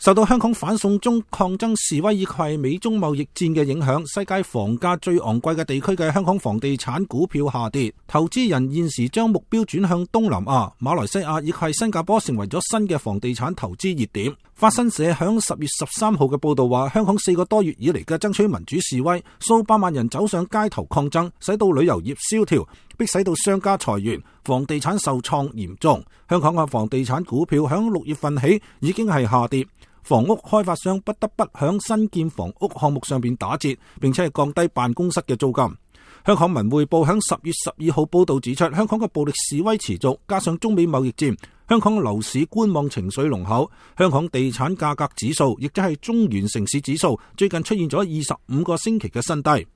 受到香港反送中抗爭示威以及美中貿易戰嘅影響，世界房價最昂貴嘅地區嘅香港房地產股票下跌，投資人現時將目標轉向東南亞、馬來西亞以及新加坡，成為咗新嘅房地產投資熱點。法新社響10月13號嘅報道話，香港4個多月以嚟嘅爭取民主示威，數百萬人走上街頭抗爭，使到旅遊業蕭條，迫使到商家裁員，房地產受創嚴重。香港嘅房地產股票響6月份起已經係下跌，房屋開發商不得不響新建房屋項目上邊打折，並且係降低辦公室嘅租金。香港文匯報響10月12號報道指出，香港嘅暴力示威持續，加上中美貿易戰，香港樓市觀望情緒濃厚。香港地產價格指數，亦即係中原城市指數，最近出現咗25個星期嘅新低。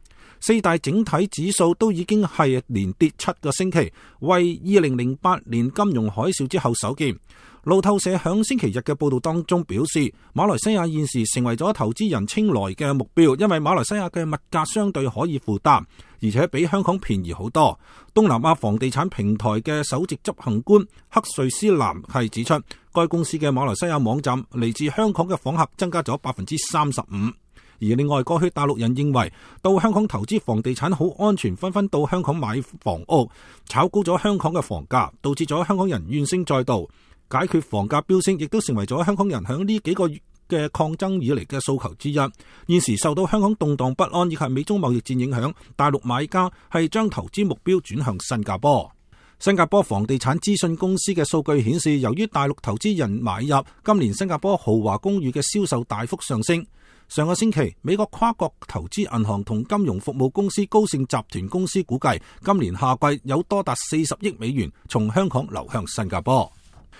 4大整體指數都已經係連跌7個星期，為2008年金融海嘯之後首見。路透社響星期日嘅報道當中表示，馬來西亞現時成為咗投資人青睞嘅目標，因為馬來西亞嘅物價相對可以負擔，而且比香港便宜好多。東南亞房地產平台嘅首席執行官克瑞斯南係指出，該公司嘅馬來西亞網站嚟自香港嘅訪客增加咗35%。而另外，過去大陸人認為到香港投資房地產好安全，紛紛到香港買房屋，炒高咗香港嘅房價，導致咗香港人怨聲載道。解決房價飆升，亦都成為咗香港人響呢幾個月嘅抗爭以嚟嘅訴求之一。現時受到香港動盪不安以及美中貿易戰影響，大陸買家係將投資目標轉向新加坡。新加坡房地產資訊公司嘅數據顯示，由於大陸投資人買入，今年新加坡豪華公寓嘅銷售大幅上升。上個星期，美國跨國投資銀行同金融服務公司高盛集團公司估計，今年夏季有多達40億美元從香港流向新加坡。